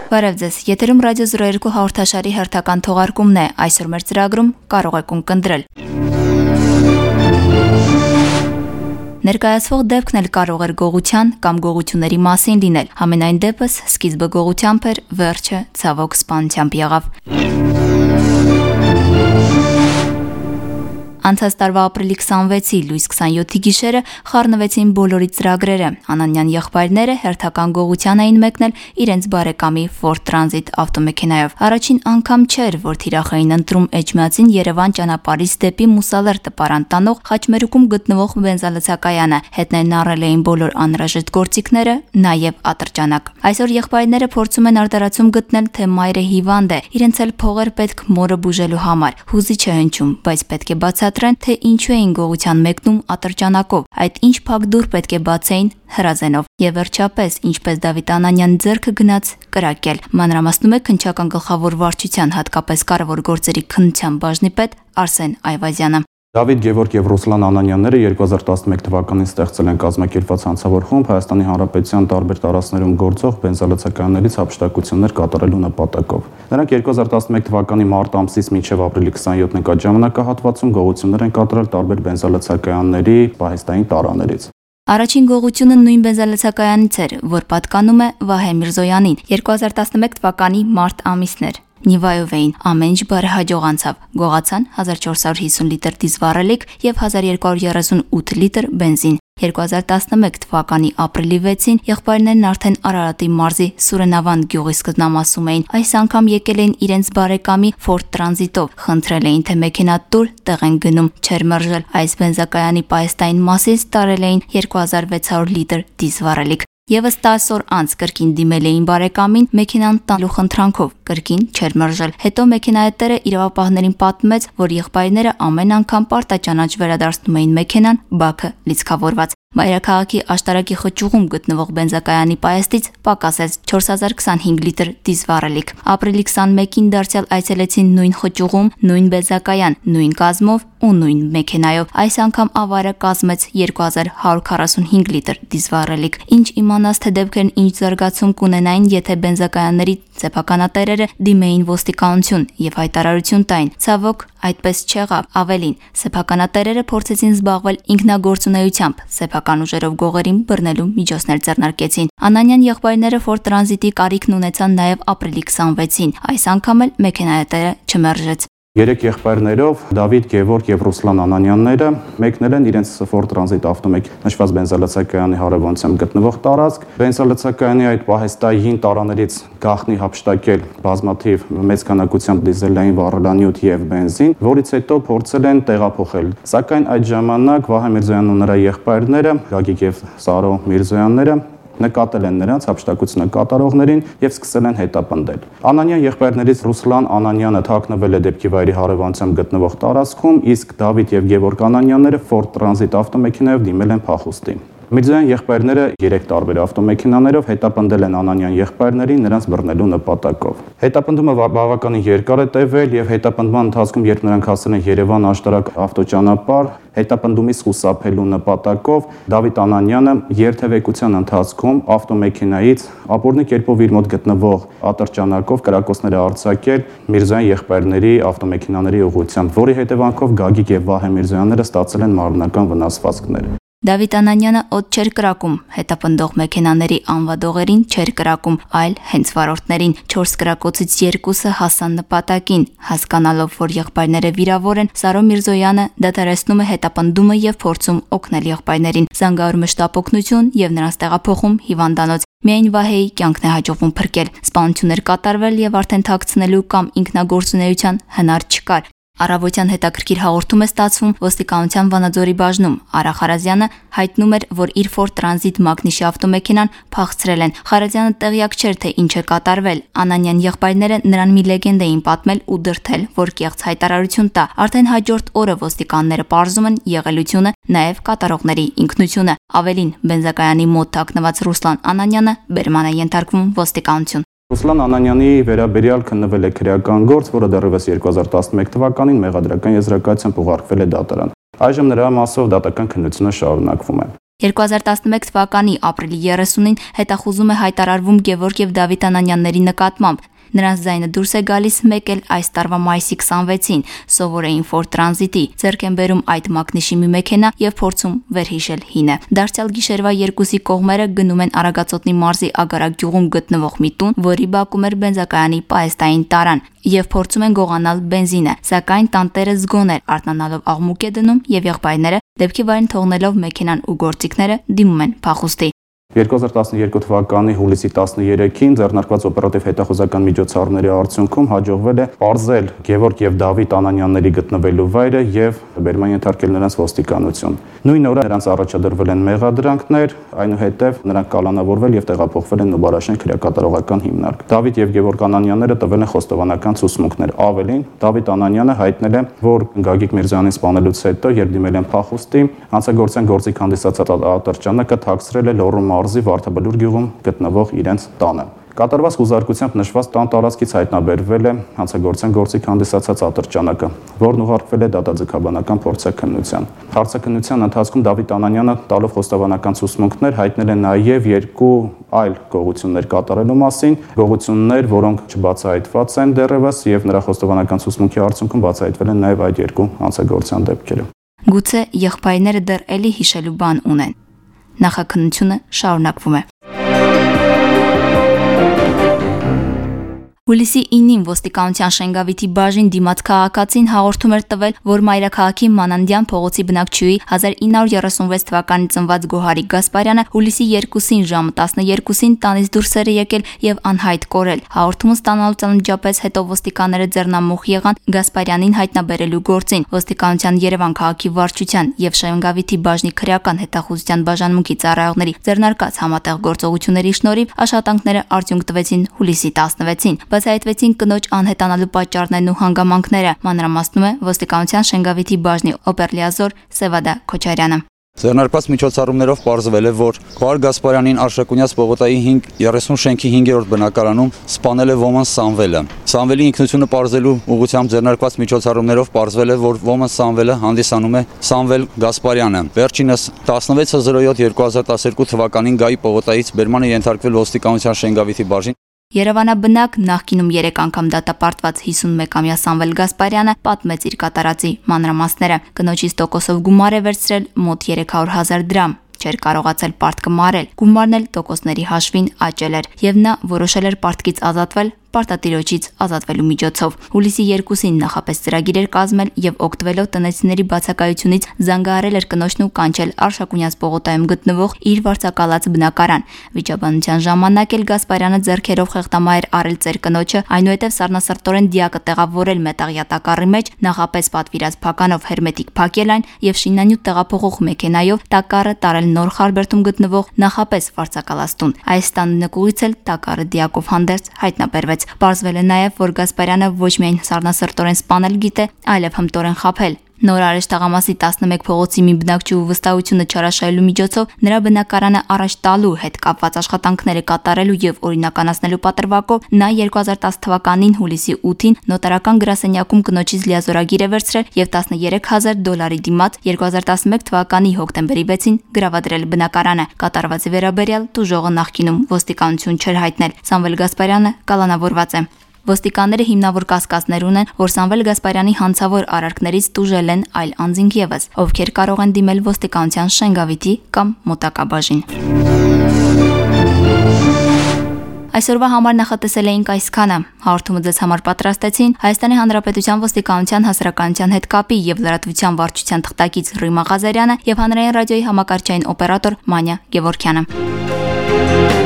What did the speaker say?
Բարև ձեզ, եթերում ռադիո 02 հաղորդաշարի հերթական թողարկումն է, այսօր մեր ծրագրում կարող եք ունկնդրել։ Ներկայացվող դեպքն էլ կարող էր գողության կամ գողությունների մասին լինել, համենայն դեպս սկիզբը գողությամբ էր, վերջը ցավոք սպանությամբ եղավ։ Անցած տարվա ապրիլի 26-ի լույս 27-ի գիշերը խառնվեցին բոլորի ծրագրերը։ Անանյան եղբայրները հերթական գողության էին մեկնել իրենց բարեկամի Ford Transit ավտոմեքենայով։ Առաջին անգամ չէր, որ թիրախ էին ընտրում Էջմիածին Երևան ճանապարհից դեպի Մուսալեր տպարան տանող Խաչմերուկում գտնվող բենզալցակայանը։ Հետներն առել էին բոլոր անհրաժեշտ գործիքները, նաև ատրճանակ։ Այսօր եղբայրները փորձում են արտարացում գտնել, թե մայրը հիվանդ է, իրենց էլ փողեր պետք մորը բուժելու համար։ Հուզիչ է հնչում, բայց պետք է բացատրեն, թե ինչու էին գողության մեկնում ատրճանակով, այդ ինչ փակ դուռ պետք է բացեին հրազենով։ Եվ վերջապես, ինչպես Դավիթ Անանյան ձեռքը գնաց կրակել։ Մանրամասնում է քննչական գլխավոր վարչության հատկապես կարևոր գործերի քննության բաժնի պետ Արսեն Այվազյանը։ Դավիթ Գևորգ եւ Ռուսլան Անանյանները 2011 թվականին ստեղծել են կազմակերպված հանցավոր խումբ Հայաստանի Հանրապետության տարբեր տարածքներում գործող բենզալցակայաններից հափշտակություններ կատարելու նպատակով։ Նրանք 2011 թվականի մարտ ամսից մինչև ապրիլի 27 նկատ ժամանակահատվածում գողություններ են կատարել տարբեր բենզալցակայանների պահեստային տարաներից։ Առաջին գողությունը նույն բենզալցակայանից էր, որ պատկանում է Վահե Միրզոյանին։ 2011 թվականի մարտ ամիսն էր։ Նիվայով էին, ամեն ինչ բարեհաջող անցավ։ Գողացան 1450 լիտր դիզվառելիք եւ 1238 լիտր բենզին։ 2011 թվականի ապրիլի 6-ին եղբայրներն արդեն Արարատի մարզի Սուրենավան գյուղի սկզբնամասում էին։ Այս անգամ եկել էին իրենց բարեկամի Ford Transit-ով, խնդրել էին, թե մեքենա տուր տեղ են գնում, չէր մերժել։ Այս բենզակայանի պահեստային մասից տարել էին 2600 լիտր դիզվառելիք։ Եվս 10 օր անց կրկին դիմել էին բարեկամին մեքենան տալու խնդրանքով, կրկին չէր մերժել։ Հետո մեքենայատերը իրավապահներին պատմեց, որ եղբայրները ամեն անգամ պարտաճանաչ վերադարձնում էին մեքենան, բաքը լիցքավորված։ Մայրաքաղաքի աշտարակի խճուղում գտնվող բենզակայանի պահեստից պակասեց 4025 լիտր դիզվառելիք։ Ապրիլի 21-ին դարձյալ այցելեցին նույն խճուղում, նույն բենզակայան, նույն կազմով ու նույն մեքենայով։ Այս անգամ ավարը կազմեց 2145 լիտր դիզվառելիք։ Ինչ իմանաս, թե դեպքերն ինչ զարգացում կունենային, եթե բենզակայանների սեփականատերերը դիմեին ոստիկանություն եւ հայտարարություն տային։ Ցավոք, այդպես չեղավ։ Ավելին, սեփականատերերը փորձեցին զբաղվել ինքնագործունեությամբ, սեփական ուժերով գողերին բռնելու միջոցներ ձեռնարկեցին։ Անանյան եղբայրները Ford Transit-ի կարիքն ունեցան նաև ապրիլի 26-ին։ Այս անգամ էլ մեքենայատերը չմերժեց։ Երեք եղբայրներով Դավիթ Գևորգ եւ Ռուսլան Անանյանները մեկնել են իրենց Ford Transit ավտոմեքենա նշված բենզալցակայանի հարևանությամբ գտնվող տարածք։ Բենզալցակայանի այդ պահեստային տարաներից գաղտնի հափշտակել բազմաթիվ մեծ քանակությամբ դիզելային վառելանյութ եւ բենզին, որից հետո փորձել են տեղափոխել։ Սակայն այդ ժամանակ Վահե Միրզոյանն ու նրա եղբայրները Գագիկ եւ Սարո Միրզոյանները նկատել են նրանց հափշտակությունը կատարողներին եւ սկսել են հետապնդել։ Անանյան եղբայրներից Ռուսլան Անանյանը թաքնվել է դեպքի վայրի հարևանությամբ գտնվող տարածքում, իսկ Դավիթ եւ Գևորգ Անանյանները Ford Transit ավտոմեքենայով դիմել են փախուստի։ Միրզոյան եղբայրները 3 տարբեր ավտոմեքենաներով հետապնդել են Անանյան եղբայրներին նրանց բռնելու նպատակով։ Հետապնդումը բավականին երկար է տևել եւ հետապնդման ընթացքում, երբ նրանք հասել են Երևան աշտարակ ավտոճանապարհ, հետապնդումից խուսափելու նպատակով Դավիթ Անանյանը երթևեկության ընթացքում ավտոմեքենայից ապօրինի կերպով իր մոտ գտնվող ատրճանակով կրակոցներ արձակել Միրզոյան եղբայրների ավտոմեքենաների ուղղությամբ, որի հետևանքով Գագիկ եւ Վահե Միրզոյանները ստացել են մարմնական վնասվածքներ։ Դավիթ Անանյանը օդ չէր կրակում, հետապնդող մեքենաների անվադողերին չէր կրակում, այլ հենց վարորդներին։ 4 կրակոցից 2-ը հասան նպատակին։ Հասկանալով, որ եղբայրները վիրավոր են, Սարո Միրզոյանը դադարեցնում է հետապնդումը եւ փորձում օգնել եղբայրներին։ Զանգահարում է շտապ օգնություն եւ նրանց տեղափոխում հիվանդանոց։ Միայն Վահեի կյանքն է հաջողվում փրկել։ Սպանություններ կատարվել եւ արդեն թաքցնելու կամ ինքնագործունեության հնար չկար։ Առավոտյան հետաքրքիր հաղորդում է ստացվում ոստիկանության Վանաձորի բաժնում։ Արա Խարազյանը հայտնում էր, որ իր Ford Transit մագնիշի ավտոմեքենան փախցրել են։ Խարազյանը տեղյակ չէր, թե ինչ է կատարվել։ Անանյան եղբայրները նրան մի լեգենդ էին պատմել ու դրդել, որ կեղծ հայտարարություն տա։ Արդեն հաջորդ օրը ոստիկանները պարզում են եղելությունը, նաև կատարողների ինքնությունը։ Ավելին, բենզակայանի մոտ թաքնված Ռուսլան Անանյանը բերման է ենթարկվում ոստիկանություն։ Ռուսլան Անանյանի վերաբերյալ քննվել է քրեական գործ, որը դեռևս 2011 թվականին մեղադրական եզրակացությամբ ուղարկվել է դատարան։ Այժմ նրա մասով դատական քննությունը շարունակվում է։ 2011 թվականի ապրիլի 30-ին հետախուզում է հայտարարվում Գևորգ եւ Դավիթ Անանյանների նկատմամբ։ Նրանց ձայնը դուրս է գալիս մեկ էլ այս տարվա մայիսի 26-ին, սովորեին Ֆորդ Տրանզիտի, ձեռք են բերում այդ մակնիշի մի մեքենա եւ փորձում վերհիշել հինը։ Դարձյալ գիշերվա 2-ի կողմերը գնում են Արագածոտնի մարզի Ագարակ գյուղում գտնվող մի տուն, որի բակում էր բենզակայանի պահեստային տարան, եւ փորձում են գողանալ բենզինը, սակայն տանտերը զգոն էր, արթնանալով աղմուկ է դնում եւ եղբայրները դեպքի վայրին թողնելով մեքենան ու գործիքները դիմում են փախուստի։ 2012 թվականի հուլիսի 13-ին ձեռնարկված օպերատիվ հետախուզական միջոցառումների արդյունքում հաջողվել է պարզել Գևորգ եւ Դավիթ Անանյանների գտնվելու վայրը եւ բերման ենթարկել նրանց ոստիկանություն։ Նույն օրը նրանց առաջադրվել են մեղադրանքներ, այնուհետև նրանք կալանավորվել եւ տեղափոխվել են Նուբարաշեն քրեակատարողական հիմնարկ։ Դավիթ եւ Գևորգ Անանյանները տվել են խոստովանական ցուցմունքներ։ Ավելին, Դավիթ Անանյանը հայտնել է, որ Գագիկ Միրզյանին սպանելուց հետո, երբ դիմել են փախուստի, հանցագործության գործիք հանդիսացած ատրճանակը թաքցրել է Լոռու մարզի Վարդաբլուր գյուղում գտնվող իրենց տանը։ Կատարված խուզարկությամբ նշված տան տարածքից հայտնաբերվել է հանցագործության գործիք հանդիսացած ատրճանակը, որն ուղարկվել է դատաձգաբանական փորձաքննության։ Հարցաքննության ընթացքում Դավիթ Անանյանը տալով խոստովանական ցուցմունքներ հայտնել է նաև 2 այլ գողություններ կատարելու մասին, գողություններ, որոնք չբացահայտված են դեռևս եւ նրա խոստովանական ցուցմունքի արդյունքում բացահայտվել են նաև այդ 2 հանցագործության դեպքերը։ Գուցե եղբայրները դեռ էլի հիշելու բան ունեն։ Նախաքննությունը շարունակվում է։ Հուլիսի 9-ին ոստիկանության Շենգավիթի բաժին դիմաց քաղաքացին հաղորդում էր տվել, որ Մայրաքաղաքի Մանանդյան փողոցի բնակչուհի 1936 թվականի ծնված Գոհարիկ Գասպարյանը հուլիսի 2-ին ժամը 12-ին տանից դուրս էր եկել եւ անհայտ կորել։ Հաղորդումը ստանալուց անմիջապես հետո ոստիկանները ձեռնամուխ եղան Գասպարյանին հայտնաբերելու գործին։ Ոստիկանության Երևան քաղաքի վարչության եւ Շենգավիթի բաժնի քրեական հետախուզության բաժանմունքի ծառայողների ձեռնարկած համատեղ գործողությունների շնորհիվ աշխատանքները արդյունք տվեցին հուլիսի 16-ին։ Բացահայտվեցին կնոջ անհետանալու պատճառներն ու հանգամանքները, մանրամասնում է ոստիկանության Շենգավիթի բաժնի օպերլիազոր Սևադա Քոչարյանը։ Ձեռնարկված միջոցառումներով պարզվել է, որ Գոհար Գասպարյանին Արշակունյաց պողոտայի 30 շենքի 5-րդ բնակարանում սպանել է ոմն Սամվելը։ Սամվելի ինքնությունը պարզելու ուղղությամբ ձեռնարկված միջոցառումներով պարզվել է, որ ոմն Սամվելը հանդիսանում է Սամվել Գասպարյանը։ Վերջինս 16/07/2012 թվականին Գայի պողոտայից բերմանը ենթարկվել ոստիկանության Շենգավիթի բաժին։ Երևանաբնակ նախկինում 3 անգամ դատապարտված 51-ամյա Սամվել Գասպարյանը պատմեց իր կատարածի մանրամասները։ Կնոջից տոկոսով գումար է վերցրել մոտ 300,000 դրամ։ Չէր կարողացել պարտքը մարել, գումարն էլ տոկոսների հաշվին աճել էր, եւ նա որոշել էր պարտքից ազատվել պարտատիրոջից ազատվելու միջոցով։ Հուլիսի 2-ին նախապես ծրագիր էր կազմել եւ օգտվելով տնեցիների բացակայությունից զանգահարել էր կնոջն ու կանչել Արշակունյաց պողոտայում գտնվող իր վարձակալած բնակարան։ Վիճաբանության ժամանակ էլ Գասպարյանը ձեռքերով խեղդամահ էր արել ծեր կնոջը, այնուհետև սառնասրտորեն դիակը տեղավորել մետաղյա տակառի մեջ, նախապես պատվիրած փականով հերմետիկ փակել այն եւ շինանյութ տեղափոխող մեքենայով տակառը տարել նոր Խարբերդում գտնվող նախապես վարձակալած տուն։ Այս տան նկուղից էլ տակառը դիակով հանդերձ հայտնաբերվեց։ Պարզվել է նաև, որ Գասպարյանը ոչ միայն սառնասրտորեն սպանել գիտե, այլև հմտորեն խաբել։ Նոր Արեշ տղամասի 11 փողոցի մի բնակչուհու վստահությունը չարաշահելու միջոցով նրա բնակարանը առաջ տալու հետ կապված աշխատանքները կատարելու եւ օրինականացնելու պատրվակով նա 2010 թվականին հուլիսի 8-ին նոտարական գրասենյակում կնոջից լիազորագիր է վերցրել եւ $11,000 դիմաց 2011 թվականի հոկտեմբերի 6-ին գրավադրել բնակարանը։ Կատարվածի վերաբերյալ տուժողը նախկինում ոստիկանություն չէր հայտնել։ Սամվել Գասպարյանը կալանավորված է։ Ոստիկանները հիմնավոր կասկածներ ունեն, որ Սամվել Գասպարյանի հանցավոր արարքներից տուժել են այլ անձինք եւս, ովքեր կարող են դիմել ոստիկանության Շենգավիթի կամ մոտակա բաժին։ Այսօրվա համար նախատեսել էինք այսքանը։ Հաղորդումը ձեզ համար պատրաստեցին Հայաստանի Հանրապետության ոստիկանության հասարակայնության հետ կապի եւ լրատվության վարչության թղթակից Ռիմա Ղազարյանը եւ հանրային ռադիոյի համակարգչային օպերատոր Մանյա Գևորգյանը։